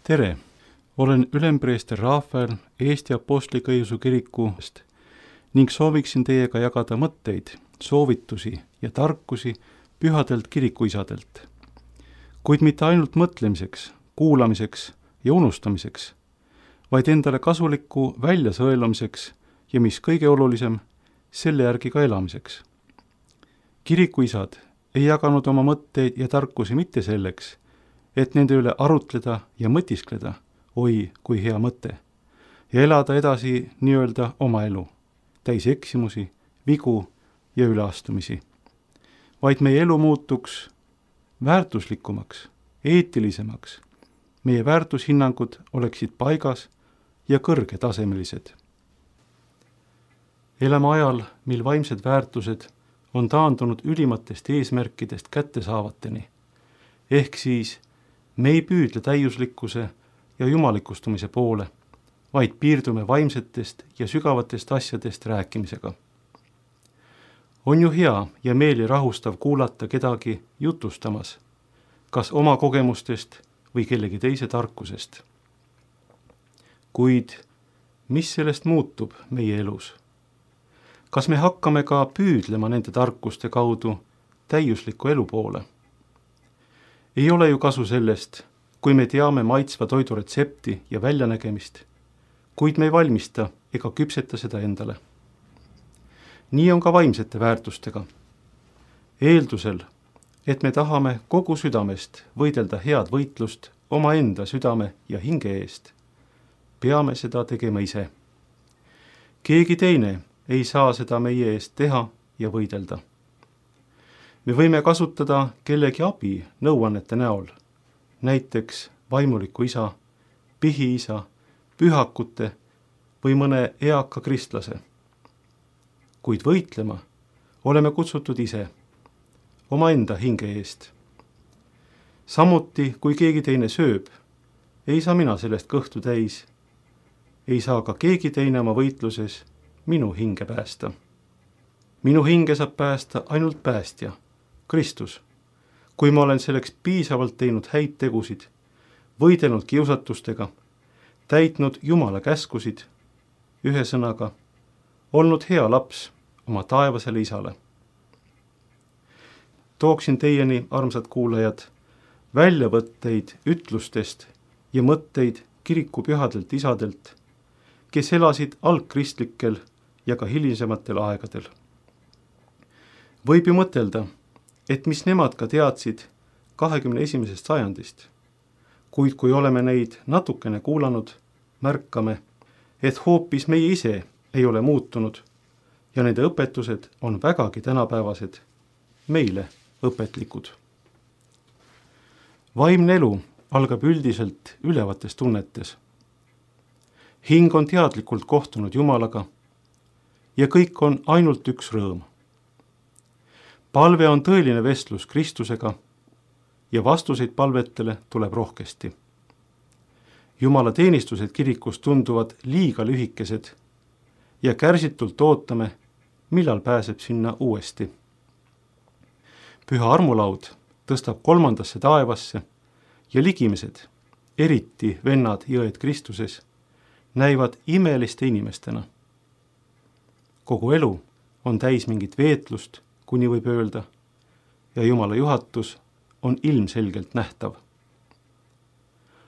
tere! Olen ülempreester Rafael Eesti Apostlik-Õigeusu Kirikust ning sooviksin teiega jagada mõtteid, soovitusi ja tarkusi pühadelt kirikuisadelt. Kuid mitte ainult mõtlemiseks, kuulamiseks ja unustamiseks, vaid endale kasuliku väljasõelumiseks ja mis kõige olulisem, selle järgi ka elamiseks. Kirikuisad ei jaganud oma mõtteid ja tarkusi mitte selleks, et nende üle arutleda ja mõtiskleda, oi kui hea mõte, ja elada edasi nii-öelda oma elu, täis eksimusi, vigu ja üleastumisi. Vaid meie elu muutuks väärtuslikumaks, eetilisemaks, meie väärtushinnangud oleksid paigas ja kõrgetasemelised. Elame ajal, mil vaimsed väärtused on taandunud ülimatest eesmärkidest kättesaavateni, ehk siis me ei püüdle täiuslikkuse ja jumalikustumise poole, vaid piirdume vaimsetest ja sügavatest asjadest rääkimisega. On ju hea ja meeli rahustav kuulata kedagi jutustamas, kas oma kogemustest või kellegi teise tarkusest. Kuid mis sellest muutub meie elus? Kas me hakkame ka püüdlema nende tarkuste kaudu täiusliku elu poole? Ei ole ju kasu sellest, kui me teame maitsva toidu retsepti ja väljanägemist, kuid me ei valmista ega küpseta seda endale. Nii on ka vaimsete väärtustega. Eeldusel, et me tahame kogu südamest võidelda head võitlust omaenda südame ja hinge eest, peame seda tegema ise. Keegi teine ei saa seda meie eest teha ja võidelda. Me võime kasutada kellegi abi nõuannete näol, näiteks vaimuliku isa, pihiisa, pühakute või mõne eaka kristlase. Kuid võitlema oleme kutsutud ise, omaenda hinge eest. Samuti, kui keegi teine sööb, ei saa mina sellest kõhtu täis. Ei saa ka keegi teine oma võitluses minu hinge päästa. Minu hinge saab päästa ainult päästja, Kristus, kui ma olen selleks piisavalt teinud häid tegusid, võidelnud kiusatustega, täitnud Jumala käskusid, ühesõnaga, olnud hea laps oma taevasele isale. Tooksin teieni, armsad kuulajad, väljavõtteid ütlustest ja mõtteid kiriku pühadelt isadelt, kes elasid algkristlikel ja ka hilisematel aegadel. Võib ju mõtelda, et mis nemad ka teadsid 21. sajandist, kuid kui oleme neid natukene kuulanud, märkame, et hoopis meie ise ei ole muutunud ja nende õpetused on vägagi tänapäevased, meile õpetlikud. Vaimne elu algab üldiselt ülevates tunnetes. Hing on teadlikult kohtunud Jumalaga ja kõik on ainult üks rõõm. Palve on tõeline vestlus Kristusega ja vastuseid palvetele tuleb rohkesti. Jumala teenistused kirikus tunduvad liiga lühikesed ja kärsitult ootame, millal pääseb sinna uuesti. Püha armulaud tõstab 3. taevasse ja ligimesed, eriti vennad ja õed Kristuses, näivad imeliste inimestena. Kogu elu on täis mingit veetlust, kuni võib öelda, ja Jumala juhatus on ilmselgelt nähtav.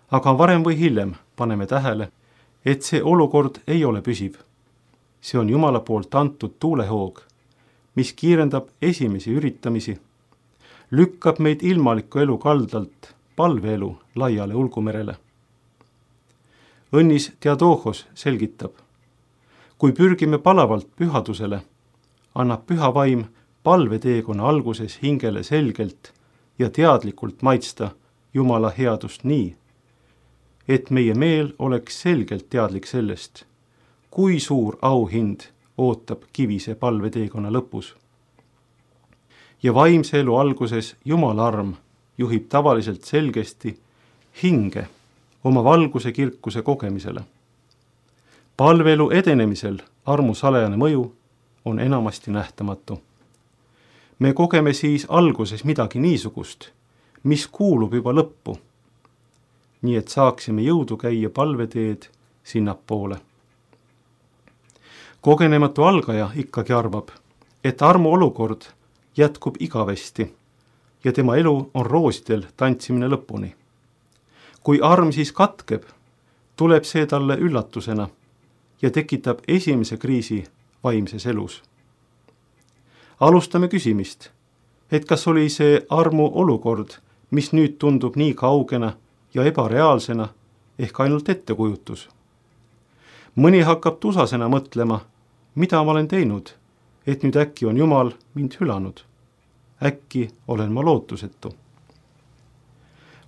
Aga varem või hiljem paneme tähele, et see olukord ei ole püsiv. See on Jumala poolt antud tuulehoog, mis kiirendab esimesi üritamisi, lükkab meid ilmaliku elu kaldalt palveelu laiale ulgumerele. Õnnis Theodohos selgitab, kui pürgime palavalt pühadusele, annab püha vaim palveteekonna alguses hingele selgelt ja teadlikult maitsta Jumala headust nii, et meie meel oleks selgelt teadlik sellest, kui suur auhind ootab kivise palveteekonna lõpus. Ja vaimse elu alguses Jumala arm juhib tavaliselt selgesti hinge oma valguse kirkuse kogemisele. Palveelu edenemisel armu salajane mõju on enamasti nähtamatu. Me kogeme siis alguses midagi niisugust, mis kuulub juba lõppu. nii et saaksime jõudu käia palveteed sinnapoole. Kogenematu algaja ikkagi arvab, et armu olukord jätkub igavesti ja tema elu on roosidel tantsimine lõpuni. Kui arm siis katkeb, tuleb see talle üllatusena ja tekitab esimese kriisi vaimses elus. Alustame küsimist, et kas oli see armu olukord, mis nüüd tundub nii kaugena ja ebareaalsena ehk ainult ettekujutus. Mõni hakkab tusasena mõtlema, mida ma olen teinud, et nüüd äkki on Jumal mind hülanud. Äkki olen ma lootusetu.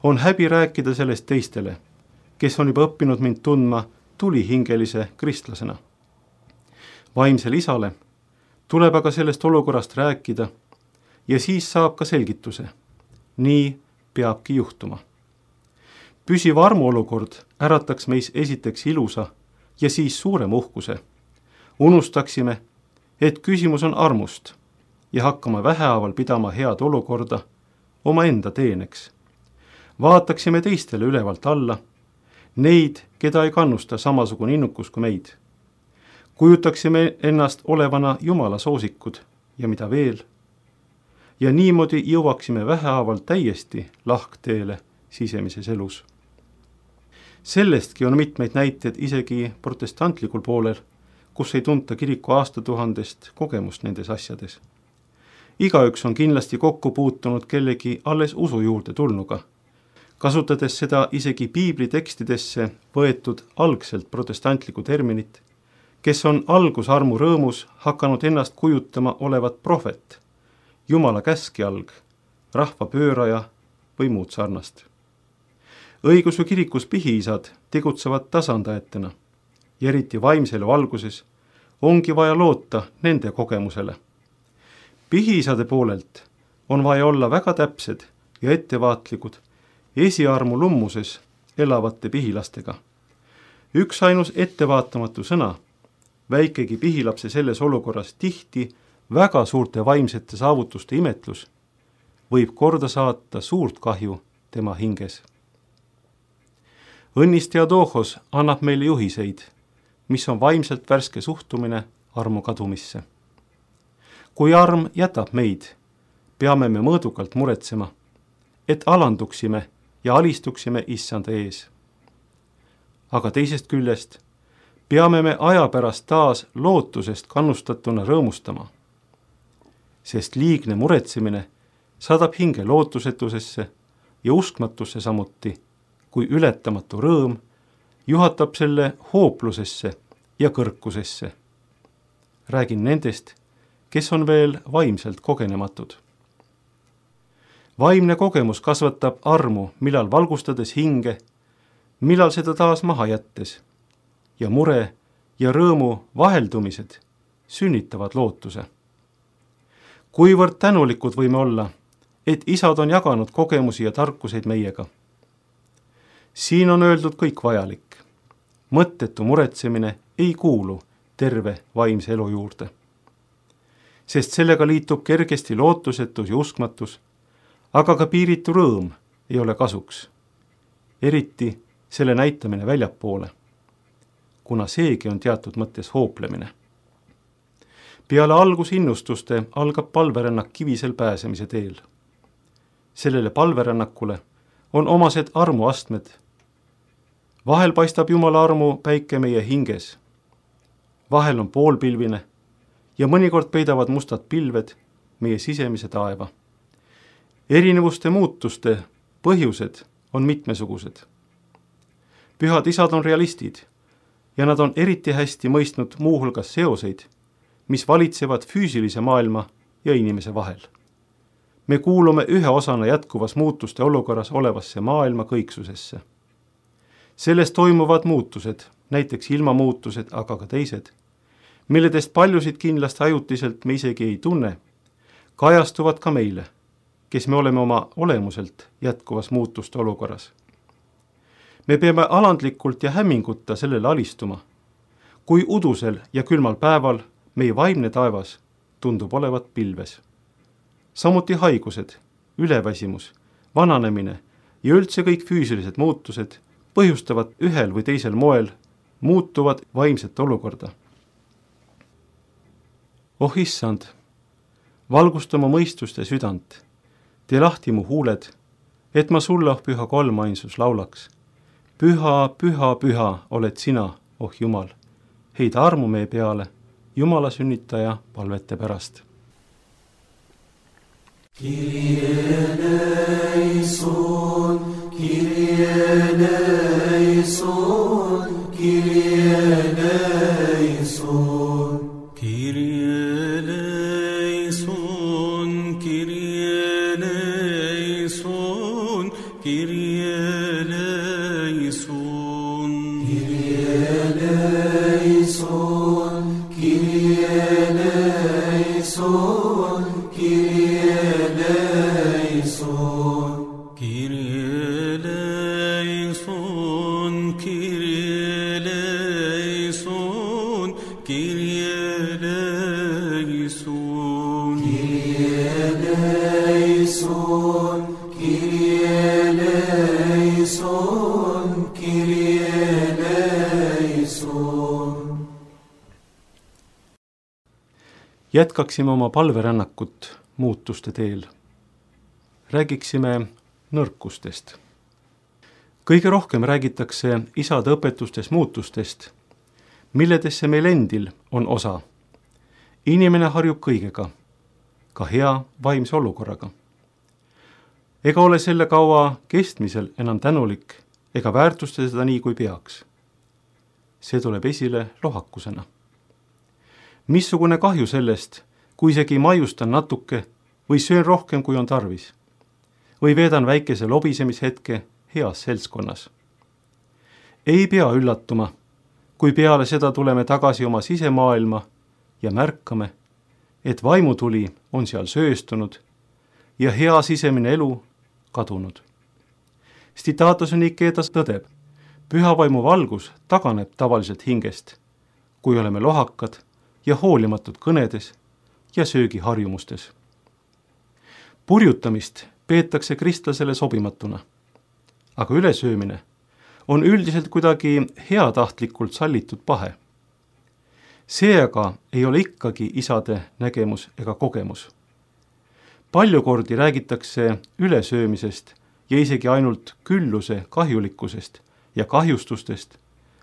On häbi rääkida sellest teistele, kes on juba õppinud mind tundma tulihingelise kristlasena. Vaimsel isale tuleb aga sellest olukorrast rääkida ja siis saab ka selgituse. Nii peabki juhtuma. Püsiv armuolukord ärataks meis esiteks ilusa ja siis suurema uhkuse. Unustaksime, et küsimus on armust ja hakkame vähehaaval pidama head olukorda omaenda teeneks. Vaataksime teistele ülevalt alla, neid, keda ei kannusta samasugune innukus kui meid. Kujutaksime ennast olevana Jumala soosikud ja mida veel. Ja niimoodi jõuaksime vähehaaval täiesti lahkteele sisemises elus. Sellestki on mitmeid näiteid isegi protestantlikul poolel, kus ei tunta kiriku aastatuhandest kogemust nendes asjades. Igaüks on kindlasti kokku puutunud kellegi alles usu juurde tulnuga, kasutades seda isegi piibli tekstidesse võetud algselt protestantlikku terminit, kes on algusarmu rõõmus hakanud ennast kujutama olevat prohvet, Jumala käskjalg, rahva pööraja või muud sarnast. Õigeusu kirikus pihiisad tegutsevad tasandajatena ja eriti vaimsele valguses ongi vaja loota nende kogemusele. Pihiisade poolelt on vaja olla väga täpsed ja ettevaatlikud esiarmu lummuses elavate pihilastega. Üks ainus ettevaatamatu sõna, väikegi pihilapse selles olukorras tihti väga suurte vaimsete saavutuste imetlus, võib korda saata suurt kahju tema hinges. Õnnis Theodohos annab meile juhiseid, mis on vaimselt värske suhtumine armu kadumisse. Kui arm jätab meid, peame me mõõdukalt muretsema, et alanduksime ja alistuksime issanda ees. Aga teisest küljest peame me aja pärast taas lootusest kannustatuna rõõmustama, sest liigne muretsemine saadab hinge lootusetusesse ja uskmatusse samuti, kui ületamatu rõõm juhatab selle hooplusesse ja kõrkusesse. Räägin nendest, kes on veel vaimselt kogenematud. Vaimne kogemus kasvatab armu, millal valgustades hinge, millal seda taas maha jättes, ja mure ja rõõmu vaheldumised sünnitavad lootuse. Kuivõrd tänulikud võime olla, et isad on jaganud kogemusi ja tarkuseid meiega. Siin on öeldud kõik vajalik. Mõttetu muretsemine ei kuulu terve vaimse elu juurde. Sest sellega liitub kergesti lootusetus ja uskmatus, aga ka piiritu rõõm ei ole kasuks. Eriti selle näitamine väljapoole, kuna seegi on teatud mõttes hooplemine. Peale algusinnustuste algab palverännak kivisel pääsemise teel. Sellele palverännakule on omased armuastmed. Vahel paistab Jumala armu päike meie hinges. Vahel on poolpilvine ja mõnikord peidavad mustad pilved meie sisemise taeva. Erinevuste muutuste põhjused on mitmesugused. Pühad isad on realistid ja nad on eriti hästi mõistnud muuhulgas seoseid, mis valitsevad füüsilise maailma ja inimese vahel. Me kuulume ühe osana jätkuvas muutuste olukorras olevasse maailma kõiksusesse. Selles toimuvad muutused, näiteks ilmamuutused, aga ka teised, milledest paljusid kindlasti ajutiselt me isegi ei tunne, kajastuvad ka meile, kes me oleme oma olemuselt jätkuvas muutuste olukorras. Me peame alandlikult ja hämmingutta sellele alistuma, kui udusel ja külmal päeval meie vaimne taevas tundub olevat pilves. Samuti haigused, üleväsimus, vananemine ja üldse kõik füüsilised muutused põhjustavad ühel või teisel moel muutuvad vaimset olukorda. Oh issand, valgusta mu mõistust ja südant, tee lahti mu huuled, et ma sulle, oh püha kolmainsus, laulaks. Püha, püha, püha oled sina, oh Jumal, heida armu meie peale, Jumala sünnitaja palvete pärast. Kyrie eleison, Kyrie eleison, Kyrie eleison. Kyrie eleison, Kyrie eleison, Kyrie eleison. Kyrie eleison, Kyrie eleison, Kyrie eleison. Kyrie eleison, Kyrie eleison, Kyrie eleison. Kyrie eleison, Kyrie eleison, Kyrie eleison. Jätkaksime oma palverännakut muutuste teel. Räägiksime nõrkustest. Kõige rohkem räägitakse isade õpetustes muutustest, milledesse meil endil on osa. Inimene harjub kõigega, ka hea vaimse olukorraga. Ega ole selle kaua kestmisel enam tänulik ega väärtusta seda nii, kui peaks. See tuleb esile lohakusena. Missugune kahju sellest, kui isegi maiustan natuke või söön rohkem, kui on tarvis. Või veedan väikese lobisemishetke heas seltskonnas. Ei pea üllatuma, kui peale seda tuleme tagasi oma sisemaailma ja märkame, et vaimutuli on seal sööstunud ja hea sisemine elu kadunud. Stitatos Niketas tõdeb, püha vaimu valgus taganeb tavaliselt hingest, kui oleme lohakad ja hoolimatud kõnedes ja söögiharjumustes. Purjutamist peetakse kristlasele sobimatuna, aga ülesöömine on üldiselt kuidagi heatahtlikult sallitud pahe. See aga ei ole ikkagi isade nägemus ega kogemus. Palju kordi räägitakse ülesöömisest ja isegi ainult külluse kahjulikkusest ja kahjustustest,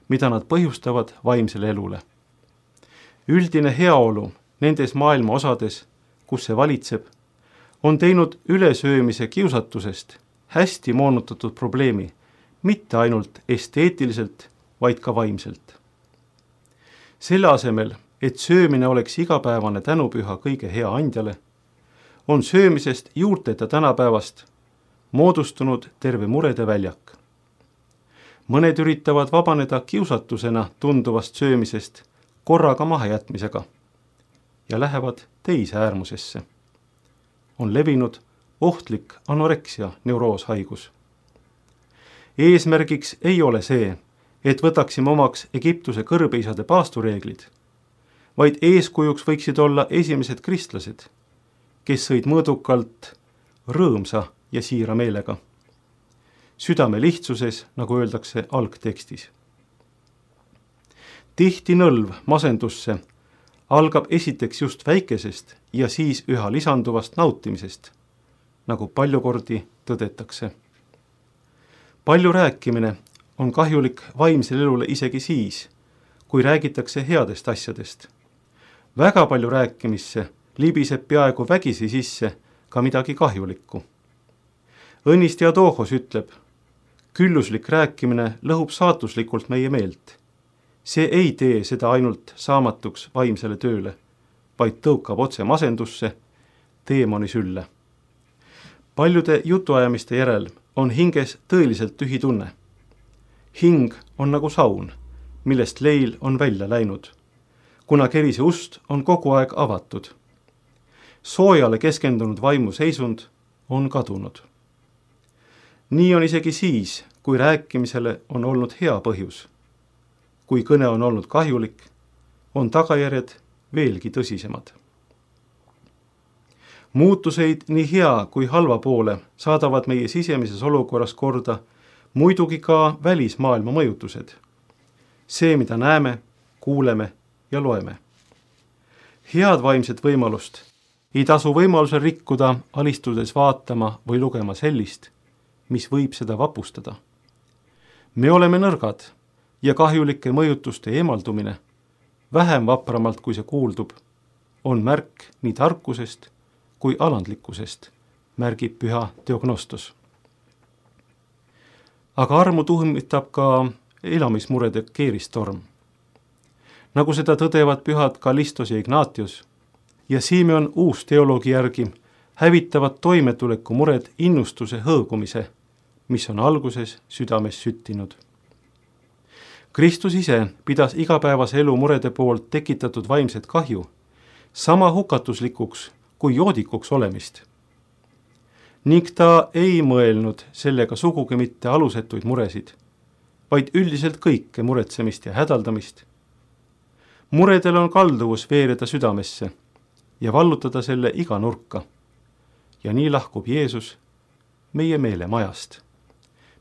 mida nad põhjustavad vaimsele elule. Üldine heaolu nendes maailma osades, kus see valitseb, on teinud ülesöömise kiusatusest hästi moonutatud probleemi, mitte ainult esteetiliselt, vaid ka vaimselt. Selle asemel, et söömine oleks igapäevane tänupüha kõige hea andjale, on söömisest juurteta tänapäevast moodustunud terve murede väljak. Mõned üritavad vabaneda kiusatusena tunduvast söömisest korraga mahajätmisega ja lähevad teise äärmusesse. On levinud ohtlik anoreksia neurooshaigus. Eesmärgiks ei ole see, et võtaksime omaks Egiptuse kõrbeisade paastureeglid, vaid eeskujuks võiksid olla esimesed kristlased, kes sõid mõõdukalt rõõmsa ja siira meelega. Südame lihtsuses, nagu öeldakse algtekstis. Tihti nõlv masendusse algab esiteks just väikesest ja siis üha lisanduvast nautimisest, nagu palju kordi tõdetakse. Palju rääkimine on kahjulik vaimsele elule isegi siis, kui räägitakse headest asjadest. Väga palju rääkimisse libiseb peaaegu vägisi sisse ka midagi kahjulikku. Õnnist Theodohos ütleb, külluslik rääkimine lõhub saatuslikult meie meelt. See ei tee seda ainult saamatuks vaimsele tööle, vaid tõukab otse masendusse, teemoni sülle. Paljude jutuajamiste järel on hinges tõeliselt tühi tunne. Hing on nagu saun, millest leil on välja läinud, kuna kerise ust on kogu aeg avatud. Soojale keskendunud vaimu seisund on kadunud. Nii on isegi siis, kui rääkimisele on olnud hea põhjus. Kui kõne on olnud kahjulik, on tagajärjed veelgi tõsisemad. Muutuseid nii hea kui halva poole saadavad meie sisemises olukorras korda muidugi ka välismaailma mõjutused. See, mida näeme, kuuleme ja loeme. Head vaimset võimalust ei tasu võimalusel rikkuda, alistudes vaatama või lugema sellist, mis võib seda vapustada. Me oleme nõrgad ja kahjulike mõjutuste eemaldumine, vähem vapramalt kui see kuuldub, on märk nii tarkusest kui alandlikkusest, märgib püha Theognostos. Aga armu tuhmitab ka elamismurede keeristorm. Nagu seda tõdevad pühad Kallistos ja Ignatius ja Simeon uus teoloogi järgi hävitavad toimetuleku mured innustuse hõõgumise, mis on alguses südames süttinud. Kristus ise pidas igapäevase elu murede poolt tekitatud vaimset kahju sama hukatuslikuks kui joodikuks olemist. Ning ta ei mõelnud sellega sugugi mitte alusetuid muresid, vaid üldiselt kõike muretsemist ja hädaldamist. Muredel on kalduvus veereda südamesse ja vallutada selle iga nurka. Ja nii lahkub Jeesus meie meelemajast,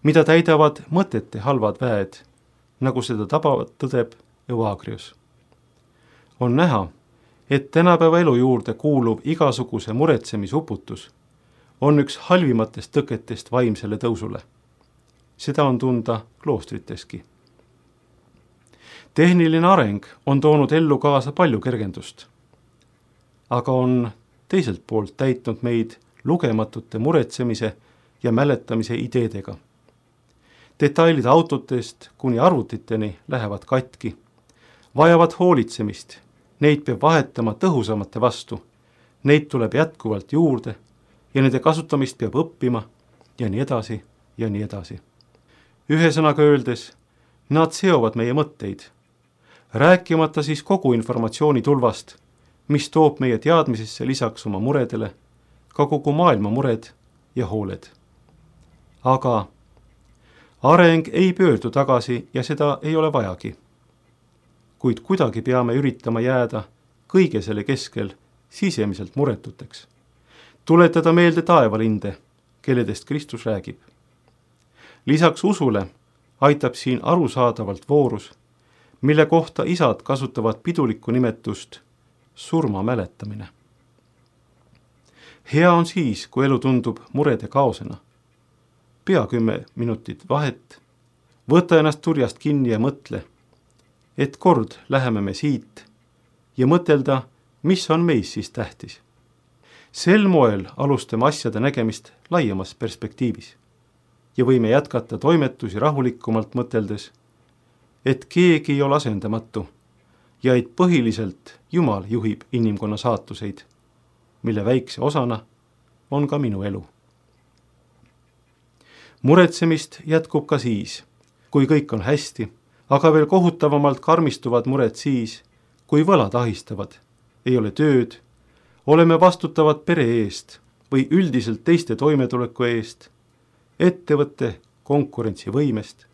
mida täidavad mõtete halvad väed, nagu seda tabavalt tõdeb Evagrius. On näha, et tänapäeva elu juurde kuuluv igasuguse muretsemisuputus on üks halvimatest tõketest vaimsele tõusule. Seda on tunda kloostriteski. Tehniline areng on toonud ellu kaasa palju kergendust, aga on teiselt poolt täitnud meid lugematute muretsemise ja mäletamise ideedega. Detailid autotest kuni arvutiteni lähevad katki, vajavad hoolitsemist, neid peab vahetama tõhusamate vastu, neid tuleb jätkuvalt juurde ja nende kasutamist peab õppima ja nii edasi ja nii edasi. Ühesõnaga öeldes, nad seovad meie mõtteid, rääkimata siis kogu informatsiooni tulvast, mis toob meie teadmisesse lisaks oma muredele ka kogu maailma mured ja hooled. Aga areng ei pöördu tagasi ja seda ei ole vajagi. Kuid kuidagi peame üritama jääda kõige selle keskel sisemiselt muretuteks. Tuletada meelde taevalinde, kelledest Kristus räägib. Lisaks usule aitab siin arusaadavalt voorus, mille kohta isad kasutavad pidulikku nimetust surma mäletamine. Hea on siis, kui elu tundub murede kaosena. Pea 10 minutit vahet, võta ennast turjast kinni ja mõtle, et kord läheme me siit ja mõtelda, mis on meis siis tähtis. Sel moel alustame asjade nägemist laiemas perspektiivis ja võime jätkata toimetusi rahulikumalt mõteldes, et keegi ei ole asendamatu ja et põhiliselt Jumal juhib inimkonna saatuseid, mille väikse osana on ka minu elu. Muretsemist jätkub ka siis, kui kõik on hästi, aga veel kohutavamalt karmistuvad mured siis, kui võlad ahistavad, ei ole tööd, oleme vastutavad pere eest või üldiselt teiste toimetuleku eest, ettevõtte konkurentsivõimest.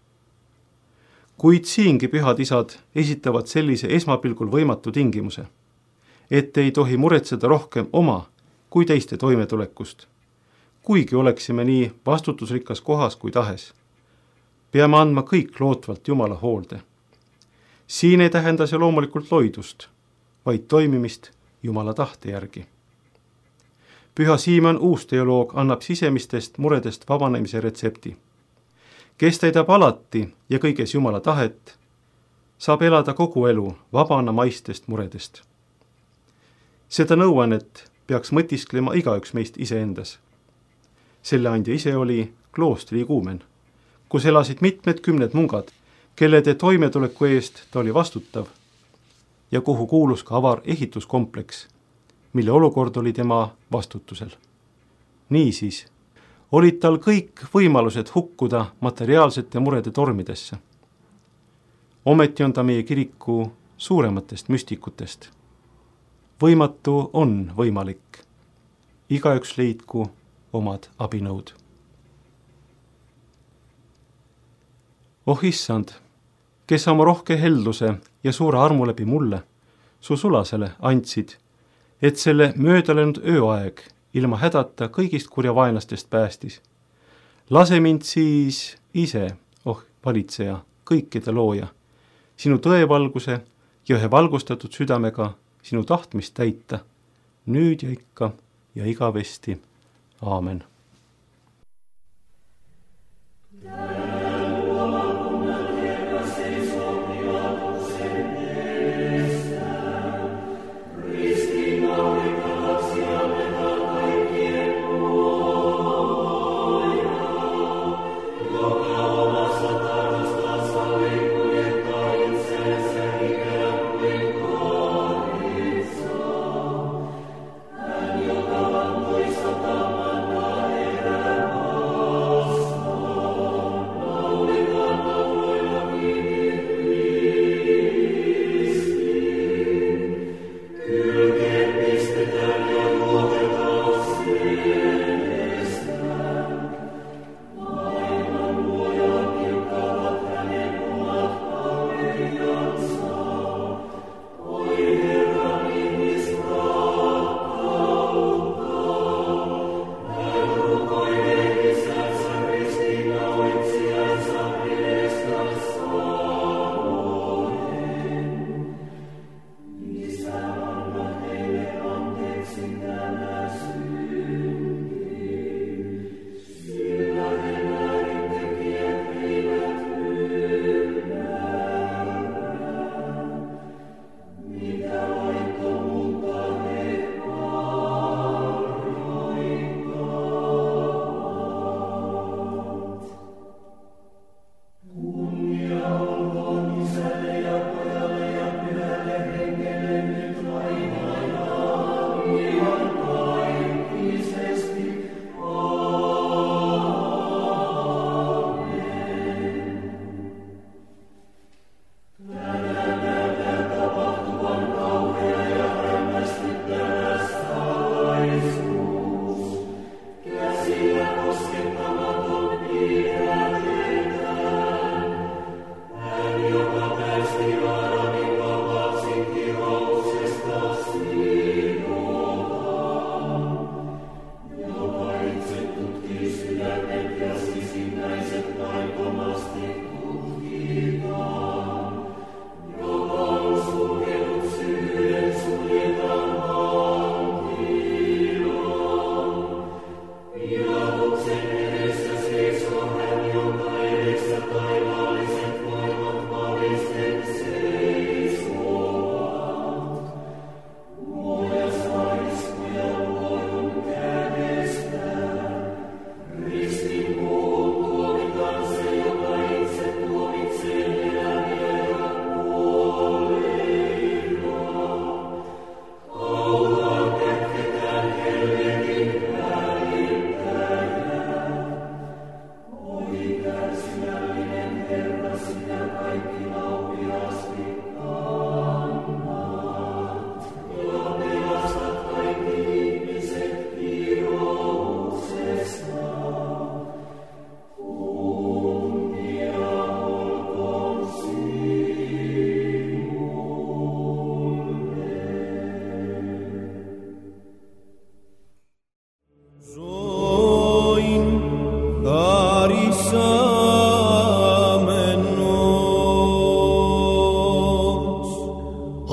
Kuid siingi pühad isad esitavad sellise esmapilgul võimatu tingimuse, et ei tohi muretseda rohkem oma kui teiste toimetulekust, kuigi oleksime nii vastutusrikas kohas kui tahes. Peame andma kõik lootvalt Jumala hoolde. Siin ei tähenda see loomulikult loidust, vaid toimimist Jumala tahte järgi. Püha Simeon uus teoloog annab sisemistest muredest vabanemise retsepti. Kes täidab alati ja kõiges Jumala tahet, saab elada kogu elu vabana maistest muredest. Seda nõuannet peaks mõtisklema igaüks meist iseendas. Selle andja ise oli kloostri iguumen, kus elasid mitmed kümned mungad, kellede toimetuleku eest ta oli vastutav ja kuhu kuulus ka avar ehituskompleks, mille olukord oli tema vastutusel. Niisiis olid tal kõik võimalused hukkuda materiaalsete murede tormidesse. Ometi on ta meie kiriku suurematest müstikutest. Võimatu on võimalik. Igaüks leidku omad abinõud. Oh issand, kes oma rohke helduse ja suure armu läbi mulle, su sulasele andsid, et selle möödaläinud ööaeg ilma hädata kõigist kurjavaenlastest päästis. Lase mind siis ise, valitseja, kõikide looja, sinu tõevalguse ja ühe valgustatud südamega sinu tahtmist täita, nüüd ja ikka ja igavesti. Aamen.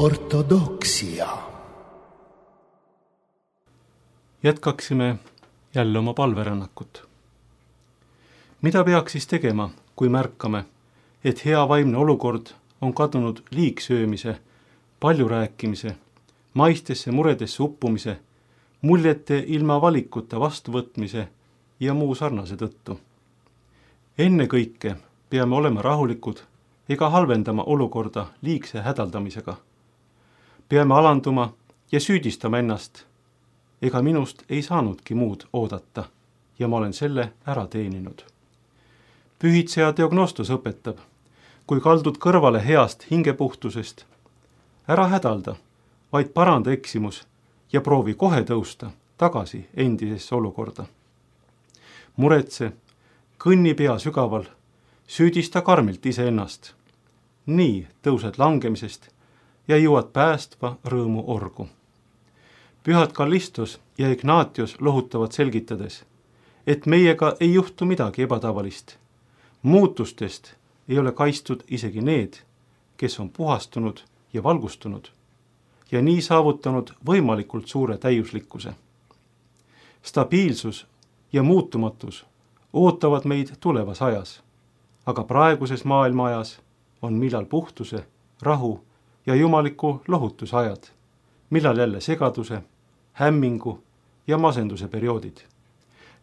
Ortodoksia. Jätkaksime jälle oma palverännakut. Mida peaks siis tegema, kui märkame, et hea vaimne olukord on kadunud liigsöömise, palju rääkimise, maistesse muredesse uppumise, muljete ilma valikuta vastuvõtmise ja muu sarnase tõttu? Enne kõike peame olema rahulikud ega halvendama olukorda liigse hädaldamisega. Peame alanduma ja süüdistama ennast. Ega minust ei saanudki muud oodata ja ma olen selle ära teeninud. Pühitseja Diagnostos õpetab, kui kaldud kõrvale heast hingepuhtusest, ära hädalda, vaid paranda eksimus ja proovi kohe tõusta tagasi endisesse olukorda. Muretse, kõnni pea sügaval, süüdista karmilt iseennast. Nii tõused langemisest ja jõuad päästva rõõmu orgu. Pühad Kallistos ja Ignatios lohutavad selgitades, et meiega ei juhtu midagi ebatavalist. Muutustest ei ole kaitstud isegi need, kes on puhastunud ja valgustunud ja nii saavutanud võimalikult suure täiuslikkuse. Stabiilsus ja muutumatus ootavad meid tulevas ajas, aga praeguses maailma ajas on millal puhtuse, rahu ja jumaliku lohutuse ajad, millal jälle segaduse, hämmingu ja masenduse perioodid.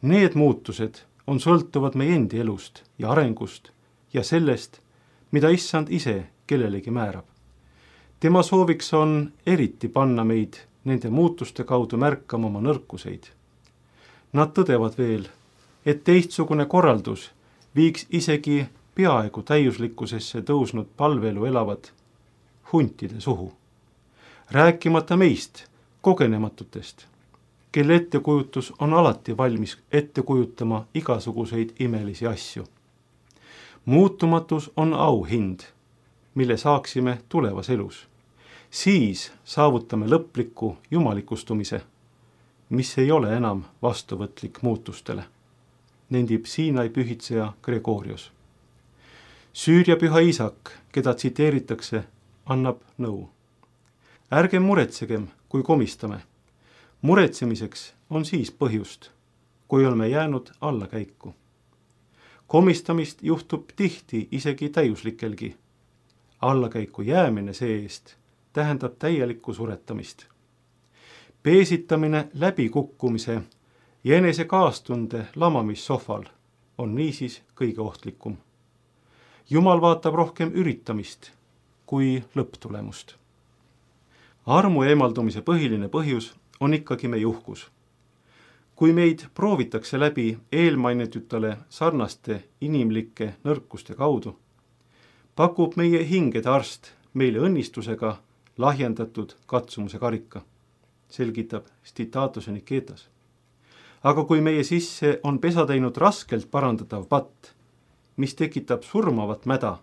Need muutused on sõltuvad meie endi elust ja arengust ja sellest, mida Issand ise kellelegi määrab. Tema sooviks on eriti panna meid nende muutuste kaudu märkama oma nõrkuseid. Nad tõdevad veel, et teistsugune korraldus viiks isegi peaaegu täiuslikkusesse tõusnud palveelu elavad huntide suhu. Rääkimata meist, kogenematutest, kelle ettekujutus on alati valmis ette kujutama igasuguseid imelisi asju. Muutumatus on auhind, mille saaksime tulevas elus. Siis saavutame lõpliku jumalikustumise, mis ei ole enam vastuvõtlik muutustele, nendib Siinai pühitseja Gregorios. Süüria püha isak, keda tsiteeritakse, annab nõu. Ärgem muretsegem, kui komistame. Muretsemiseks on siis põhjust, kui oleme jäänud allakäiku. Komistamist juhtub tihti isegi täiuslikelgi. Allakäiku jäämine see-eest tähendab täielikku suretamist. Peesitamine läbikukkumise ja enese kaastunde lamamissohval on niisiis kõige ohtlikum. Jumal vaatab rohkem üritamist kui lõpptulemust. Armu eemaldumise põhiline põhjus on ikkagi meie uhkus. Kui meid proovitakse läbi eelmainitutele sarnaste inimlike nõrkuste kaudu, pakub meie hingede arst meile õnnistusega lahjendatud katsumuse karika, selgitab Stitaatose Niketas. Aga kui meie sisse on pesa teinud raskelt parandatav patt, mis tekitab surmavat mäda,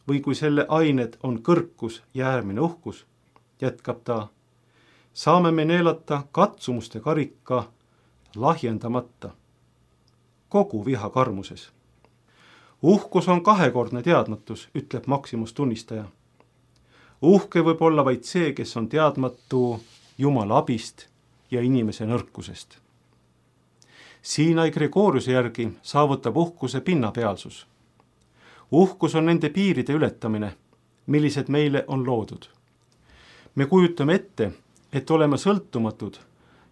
või kui selle ained on kõrkus ja äärmine uhkus, jätkab ta, saame me neelata katsumuste karika lahjendamata, kogu viha karmuses. Uhkus on kahekordne teadmatus, ütleb Maximus tunnistaja. Uhke võib olla vaid see, kes on teadmatu Jumala abist ja inimese nõrkusest. Siinai Gregoriuse järgi saavutab uhkuse pinnapealsus. Uhkus on nende piiride ületamine, millised meile on loodud. Me kujutame ette, et oleme sõltumatud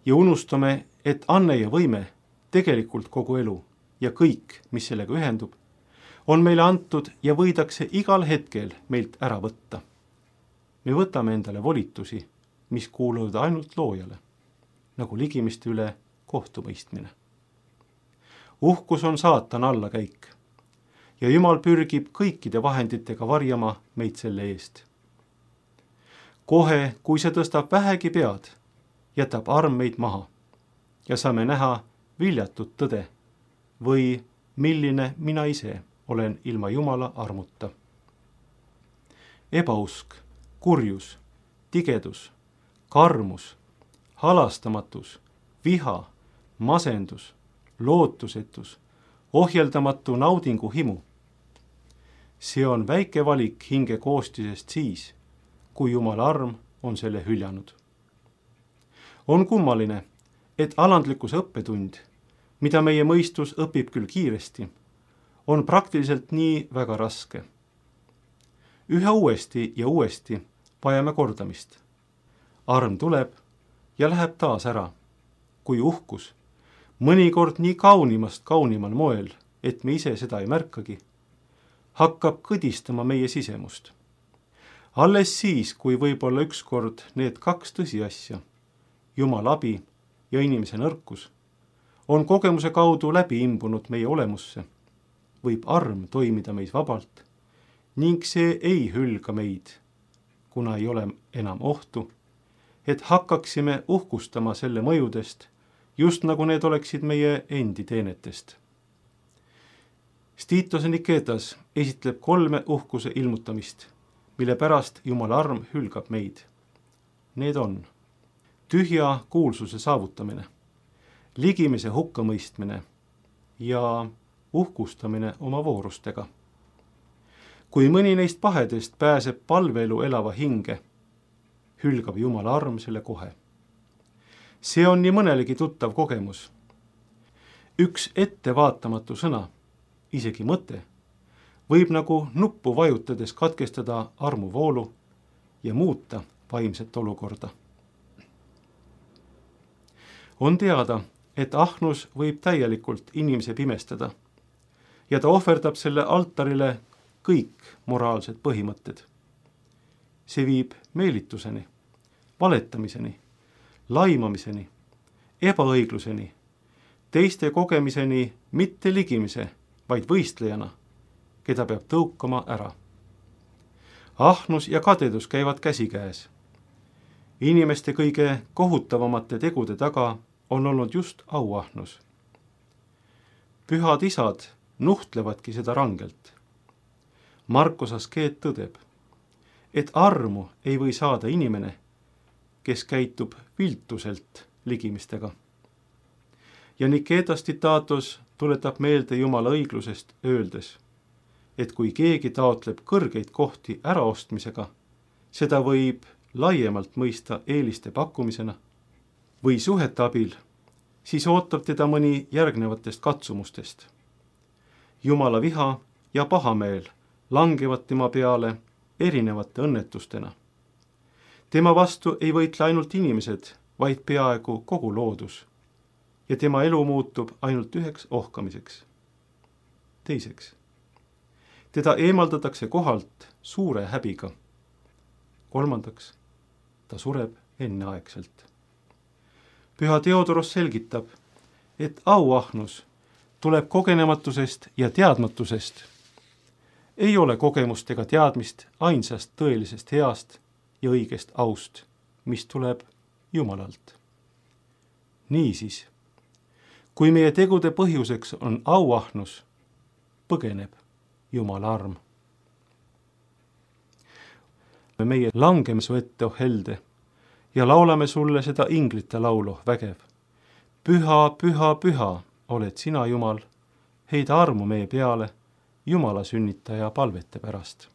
ja unustame, et anne ja võime, tegelikult kogu elu ja kõik, mis sellega ühendub, on meile antud ja võidakse igal hetkel meilt ära võtta. Me võtame endale volitusi, mis kuuluvad ainult loojale, nagu ligimiste üle kohtumõistmine. Uhkus on saatana allakäik ja Jumal pürgib kõikide vahenditega varjama meid selle eest. Kohe, kui see tõstab vähegi pead, jätab arm meid maha ja saame näha viljatut tõde või milline mina ise olen ilma Jumala armuta. Ebausk, kurjus, tigedus, karmus, halastamatus, viha, masendus, lootusetus, ohjeldamatu naudingu himu. See on väike valik hinge koostisest siis, kui Jumala arm on selle hüljanud. On kummaline, et alandlikkuse õppetund, mida meie mõistus õpib küll kiiresti, on praktiliselt nii väga raske. Üha uuesti ja uuesti vajame kordamist. Arm tuleb ja läheb taas ära, kui uhkus, mõnikord nii kaunimast kaunimal moel, et me ise seda ei märkagi, hakkab kõdistama meie sisemust. Alles siis, kui võib-olla ükskord need kaks tõsiasja, Jumala abi ja inimese nõrkus, on kogemuse kaudu läbi imbunud meie olemusse, võib arm toimida meis vabalt ning see ei hülga meid, kuna ei ole enam ohtu, et hakkaksime uhkustama selle mõjudest, just nagu need oleksid meie endi teenetest. Stitose Niketas esitleb 3 uhkuse ilmutamist, mille pärast Jumala arm hülgab meid. Need on tühja kuulsuse saavutamine, ligimise hukkamõistmine ja uhkustamine oma voorustega. Kui mõni neist pahedest pääseb palveelu elava hinge, hülgab Jumala arm selle kohe. See on nii mõnelegi tuttav kogemus. Üks ettevaatamatu sõna, isegi mõte, võib nagu nuppu vajutades katkestada armuvoolu ja muuta vaimset olukorda. On teada, et ahnus võib täielikult inimese pimestada ja ta ohverdab selle altarile kõik moraalsed põhimõtted. See viib meelituseni, valetamiseni, laimamiseni, ebaõigluseni, teiste kogemiseni mitte ligimise, vaid võistlejana, keda peab tõukama ära. Ahnus ja kadedus käivad käsikäes. Inimeste kõige kohutavamate tegude taga on olnud just auahnus. Pühad isad nuhtlevadki seda rangelt. Markus Askeet tõdeb, et armu ei või saada inimene, kes käitub viltuselt ligimistega. Ja Niketas Titatos tuletab meelde Jumala õiglusest öeldes, et kui keegi taotleb kõrgeid kohti äraostmisega, seda võib laiemalt mõista eeliste pakkumisena või suhete abil, siis ootab teda mõni järgnevatest katsumustest. Jumala viha ja pahameel langevad tema peale erinevate õnnetustena. Tema vastu ei võitle ainult inimesed, vaid peaaegu kogu loodus ja tema elu muutub ainult üheks ohkamiseks. Teiseks, teda eemaldatakse kohalt suure häbiga. Kolmandaks, ta sureb enneaegselt. Püha Theodoros selgitab, et auahnus tuleb kogenematusest ja teadmatusest. Ei ole kogemust ega teadmist ainsast tõelisest heast ja õigest aust, mis tuleb Jumalalt. Niisiis, kui meie tegude põhjuseks on auahnus, põgeneb Jumala arm. Meie langeme su ette, oh helde, ja laulame sulle seda inglite laulu vägev. Püha, püha, püha oled sina, Jumal, heida armu meie peale, Jumala sünnitaja palvete pärast.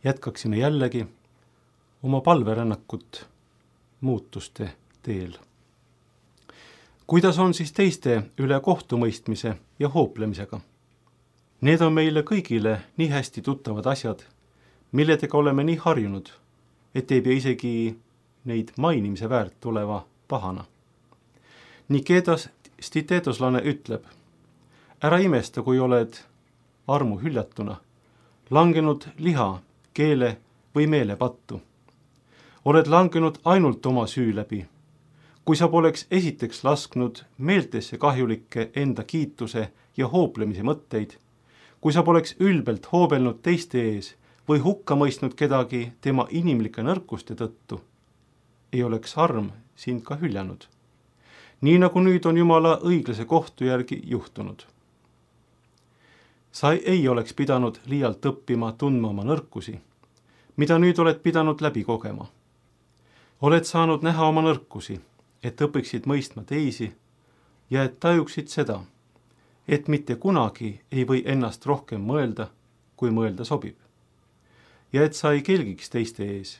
jätkaksime jällegi oma palverännakut muutuste teel. Kuidas on siis teiste üle kohtumõistmise ja hooplemisega? Need on meile kõigile nii hästi tuttavad asjad, milledega oleme nii harjunud, et ei pea isegi neid mainimise väärt oleva pahana. Niketas stitetoslane ütleb, ära imesta, kui oled armu hüljatuna, langenud liha, keele või meele pattu. Oled langenud ainult oma süü läbi. Kui sa poleks esiteks lasknud meeltesse kahjulikke enda kiituse ja hooplemise mõtteid, kui sa poleks ülbelt hoobelnud teiste ees või hukka mõistnud kedagi tema inimlike nõrkuste tõttu, ei oleks arm sind ka hüljanud. Nii nagu nüüd on Jumala õiglase kohtu järgi juhtunud. Sa ei oleks pidanud liialt õppima tundma oma nõrkusi, mida nüüd oled pidanud läbi kogema. Oled saanud näha oma nõrkusi, et õpiksid mõistma teisi ja et tajuksid seda, et mitte kunagi ei või ennast rohkem mõelda, kui mõelda sobib. Ja et sa ei kelgiks teiste ees.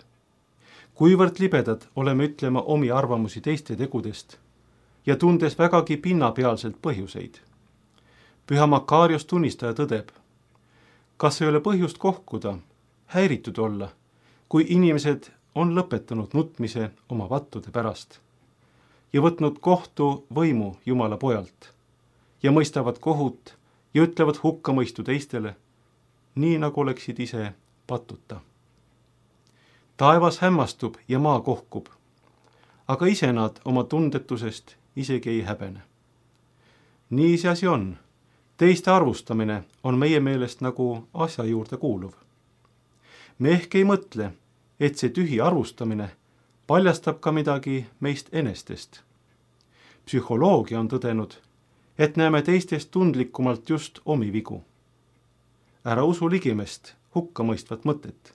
Kuivõrd libedad oleme ütlema omi arvamusi teiste tegudest ja tundes vägagi pinnapealselt põhjuseid. Püha Makarios tunnistaja tõdeb, kas ei ole põhjust kohkuda, häiritud olla, kui inimesed on lõpetanud nutmise oma vattude pärast ja võtnud kohtu võimu Jumala pojalt ja mõistavad kohut ja ütlevad hukkamõistu teistele, nii nagu oleksid ise patuta. Taevas hämmastub ja maa kohkub, aga ise nad oma tundetusest isegi ei häbene. Nii see asi on. Teiste arvustamine on meie meelest nagu asja juurde kuuluv. Me ehk ei mõtle, et see tühi arvustamine paljastab ka midagi meist enestest. Psühholoogia on tõdenud, et näeme teistest tundlikumalt just omi vigu. Ära usu ligimest hukkamõistvat mõtet,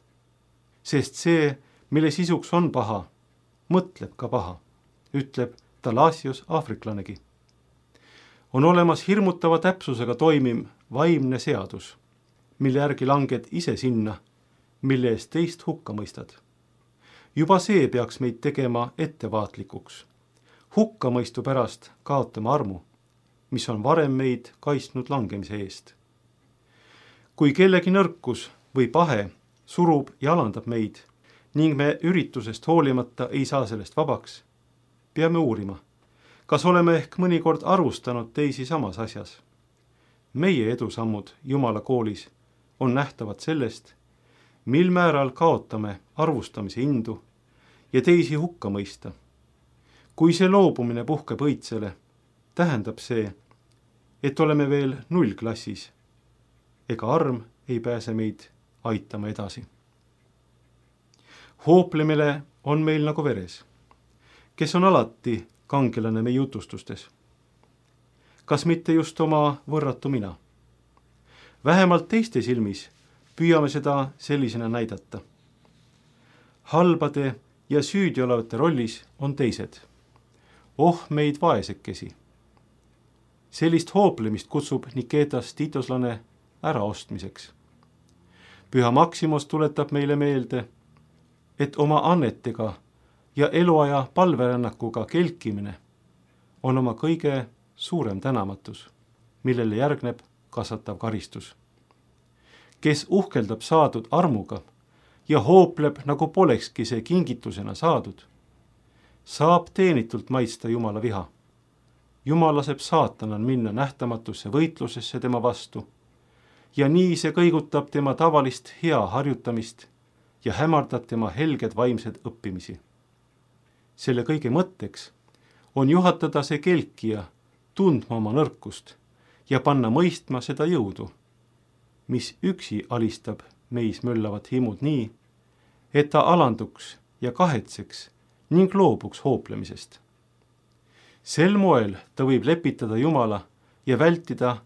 sest see, mille sisuks on paha, mõtleb ka paha, ütleb Talasios aafriklanegi. On olemas hirmutava täpsusega toimim vaimne seadus, mille järgi langed ise sinna, mille eest teist hukka mõistad. Juba see peaks meid tegema ettevaatlikuks. Hukkamõistu pärast kaotame armu, mis on varem meid kaitsnud langemise eest. Kui kellegi nõrkus või pahe surub ja alandab meid ning me üritusest hoolimata ei saa sellest vabaks, peame uurima, kas oleme ehk mõnikord arvustanud teisi samas asjas. Meie edusammud Jumala koolis on nähtavad sellest, mil määral kaotame arvustamise indu ja teisi hukka mõista. Kui see loobumine puhkeb õitsele, tähendab see, et oleme veel nullklassis, ega arm ei pääse meid aitama edasi. Hooplemine on meil nagu veres, kes on alati kangelane meie jutustustes. Kas mitte just oma võrratu mina? Vähemalt teiste silmis püüame seda sellisena näidata. Halbade ja süüdi olevate rollis on teised. Oh meid vaesekesi. Sellist hooplemist kutsub Niketas tiitoslane äraostmiseks. Püha Maksimos tuletab meile meelde, et oma annetega ja eluaja palverännakuga kelkimine on oma kõige suurem tänamatus, millele järgneb kasvatav karistus. Kes uhkeldab saadud armuga ja hoopleb, nagu polekski see kingitusena saadud, saab teenitult maitsta Jumala viha. Jumal laseb saatanal minna nähtamatusse võitlusesse tema vastu ja nii see kõigutab tema tavalist hea harjutamist ja hämardab tema helged vaimsed õppimisi. Selle kõige mõtteks on juhatada see kelkija tundma oma nõrkust ja panna mõistma seda jõudu, mis üksi alistab meis möllavat himud nii, et ta alanduks ja kahetseks ning loobuks hooplemisest. Sel moel ta võib lepitada Jumala ja vältida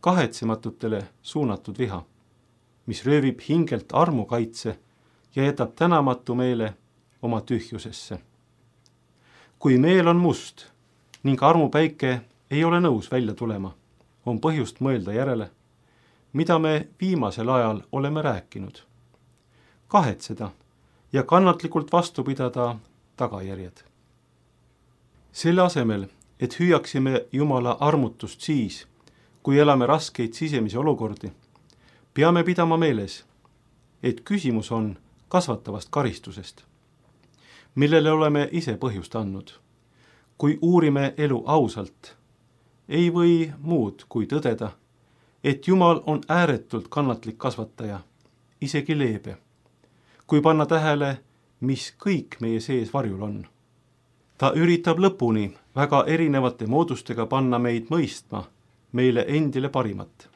kahetsematutele suunatud viha, mis röövib hingelt armukaitse ja jätab tänamatu meele oma tühjusesse. Kui meel on must ning armupäike ei ole nõus välja tulema, on põhjust mõelda järele, mida me viimasel ajal oleme rääkinud. kahetseda ja kannatlikult vastu pidada tagajärjed. Selle asemel, et hüüaksime Jumala armutust siis, kui elame raskeid sisemisi olukordi, peame pidama meeles, et küsimus on kasvatavast karistusest, millele oleme ise põhjust andnud. Kui uurime elu ausalt, ei või muud kui tõdeda, et Jumal on ääretult kannatlik kasvataja, isegi leebe, kui panna tähele, mis kõik meie sees varjul on. Ta üritab lõpuni väga erinevate moodustega panna meid mõistma meile endile parimat.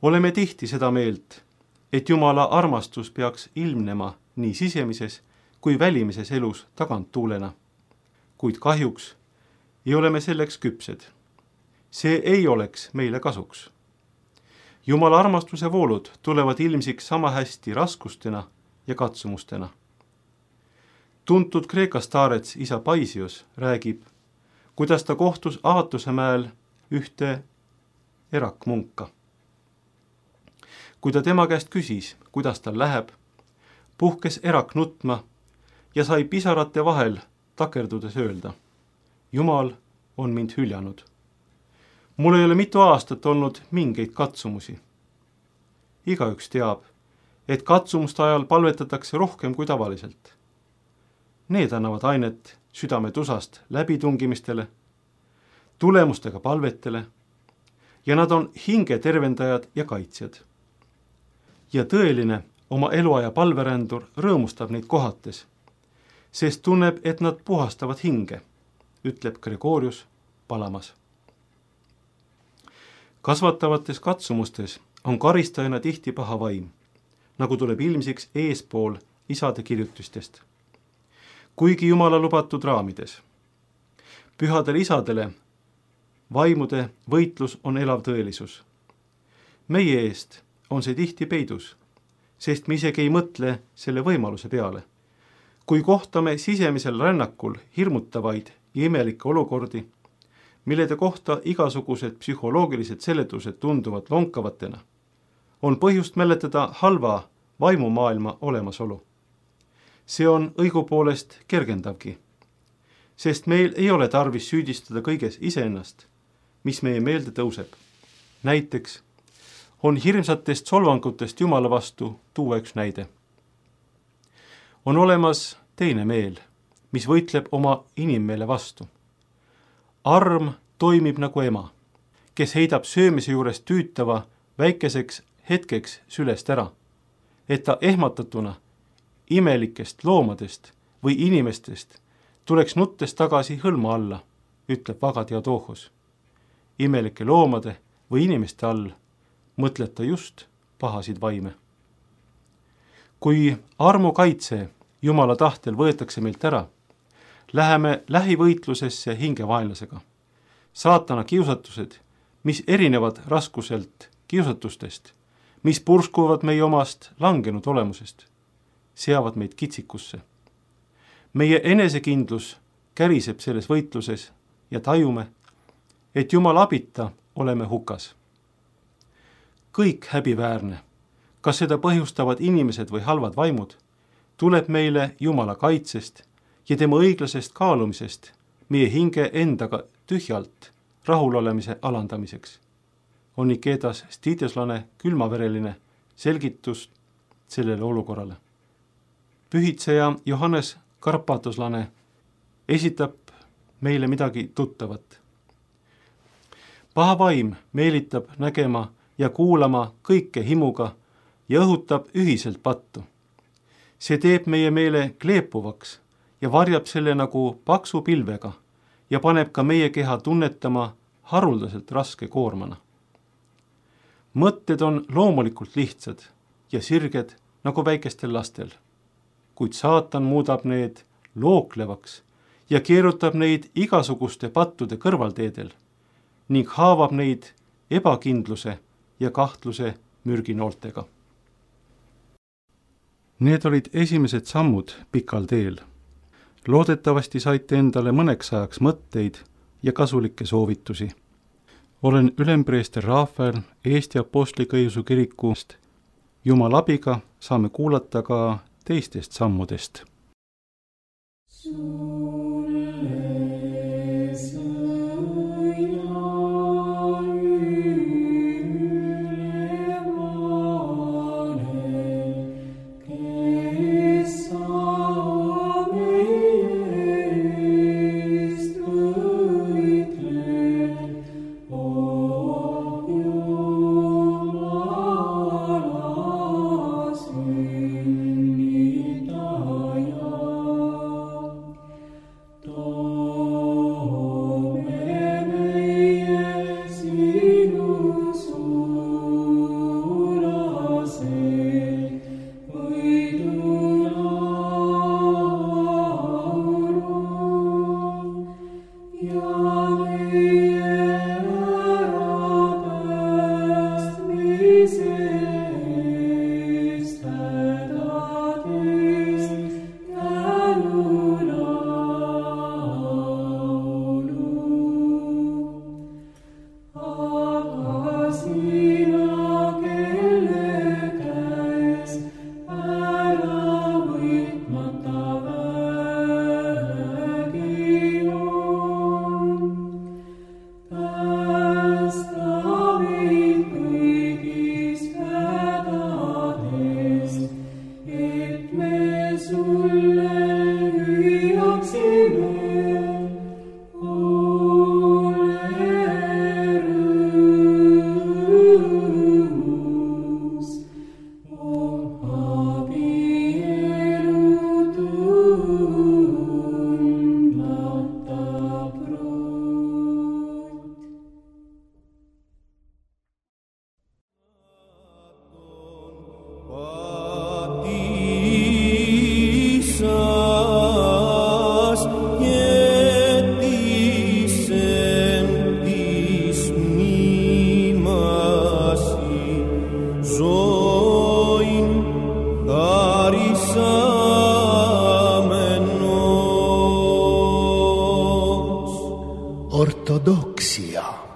Oleme tihti seda meelt, et Jumala armastus peaks ilmnema nii sisemises kui välimises elus taganttuulena, kuid kahjuks ei ole me selleks küpsed. See ei oleks meile kasuks. Jumala armastuse voolud tulevad ilmsiks sama hästi raskustena ja katsumustena. Tuntud Kreeka staarets isa Paisios räägib, kuidas ta kohtus Aatuse mäel ühte erakmunka. Kui ta tema käest küsis, kuidas tal läheb, puhkes erak nutma ja sai pisarate vahel takerdudes öelda: Jumal on mind hüljanud. Mul ei ole mitu aastat olnud mingeid katsumusi. Igaüks teab, et katsumuste ajal palvetatakse rohkem kui tavaliselt. Need annavad ainet südame tusast läbitungimistele, tulemustega palvetele ja nad on hinge tervendajad ja kaitsjad. Ja tõeline oma eluaja palverändur rõõmustab neid kohates, sest tunneb, et nad puhastavad hinge, ütleb Gregorius Palamas. Kasvatavates katsumustes on karistajana tihti paha vaim, nagu tuleb ilmsiks eespool isade kirjutistest. Kuigi Jumala lubatud raamides. Pühadele isadele vaimude võitlus on elav tõelisus. Meie eest on see tihti peidus, sest me isegi ei mõtle selle võimaluse peale. Kui kohtame sisemisel rännakul hirmutavaid ja imelikke olukordi, millede kohta igasugused psühholoogilised seletused tunduvad lonkavatena, on põhjust mäletada halva vaimumaailma olemasolu. See on õigupoolest kergendavgi, sest meil ei ole tarvis süüdistada kõiges iseennast, mis meie meelde tõuseb. Näiteks on hirmsatest solvangutest Jumala vastu tuua üks näide. On olemas teine meel, mis võitleb oma inimmeele vastu. Arm toimib nagu ema, kes heidab söömise juures tüütava väikeseks hetkeks sülest ära, et ta ehmatatuna imelikest loomadest või inimestest tuleks nuttes tagasi hõlma alla, ütleb Vaga Theodohos. Imelike loomade või inimeste all mõtleb ta just pahasid vaime. Kui armu kaitse Jumala tahtel võetakse meilt ära, läheme lähivõitlusesse hingevaenlasega. Saatana kiusatused, mis erinevad raskuselt kiusatustest, mis purskuvad meie omast langenud olemusest, seavad meid kitsikusse. Meie enesekindlus käriseb selles võitluses ja tajume, et Jumala abita oleme hukas. Kõik häbiväärne, kas seda põhjustavad inimesed või halvad vaimud, tuleb meile Jumala kaitsest ja tema õiglasest kaalumisest meie hinge endaga tühjalt rahulolemise alandamiseks. On Nikedas Stiteslane külmavereline selgitus sellele olukorrale. Pühitseja Johannes Karpatoslane esitab meile midagi tuttavat. Paha vaim meelitab nägema ja kuulama kõike himuga ja õhutab ühiselt pattu. See teeb meie meele kleepuvaks ja varjab selle nagu paksu pilvega ja paneb ka meie keha tunnetama haruldaselt raske koormana. Mõtted on loomulikult lihtsad ja sirged nagu väikestel lastel, kuid saatan muudab need looklevaks ja keerutab neid igasuguste pattude kõrvalteedel ning haavab neid ebakindluse ja kahtluse mürginooltega. Need olid esimesed sammud pikal teel. Loodetavasti saite endale mõneks ajaks mõtteid ja kasulikke soovitusi. Olen ülempreester Eesti Apostlik-Õigeusu Kirikust. Jumala abiga saame kuulata ka teistest sammudest. Ortodoksia.